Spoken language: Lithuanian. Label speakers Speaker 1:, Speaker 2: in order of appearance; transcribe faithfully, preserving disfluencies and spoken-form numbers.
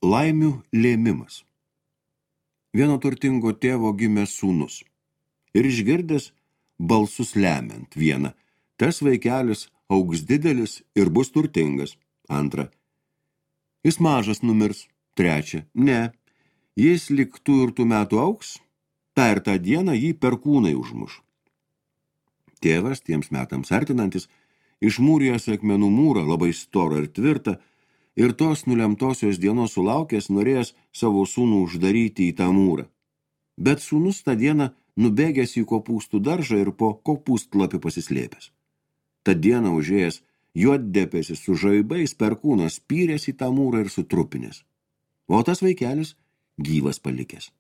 Speaker 1: Laimių lėmimas. Vieno turtingo tėvo gimė sūnus. Ir išgirdęs balsus lemiant vieną, tas vaikelis augs didelis ir bus turtingas. Antra, jis mažas numirs. Trečia, ne, jis lik tų ir tų metų augs, tą ir tą dieną jį perkūnai užmuš. Tėvas, tiems metams artinantis, išmūrijęs akmenų mūrą, labai storą ir tvirtą, ir tos nulemtosios dienos sulaukęs, norėjęs savo sūnų uždaryti į tą mūrą. Bet sūnus tą dieną nubėgęs į kopūstų daržą ir po kopūstlapį pasislėpęs. Tą dieną užėjęs juoddebesis su žaibais perkūnas spyręs į tą mūrą ir sutrupinęs. O tas vaikelis gyvas palikęs.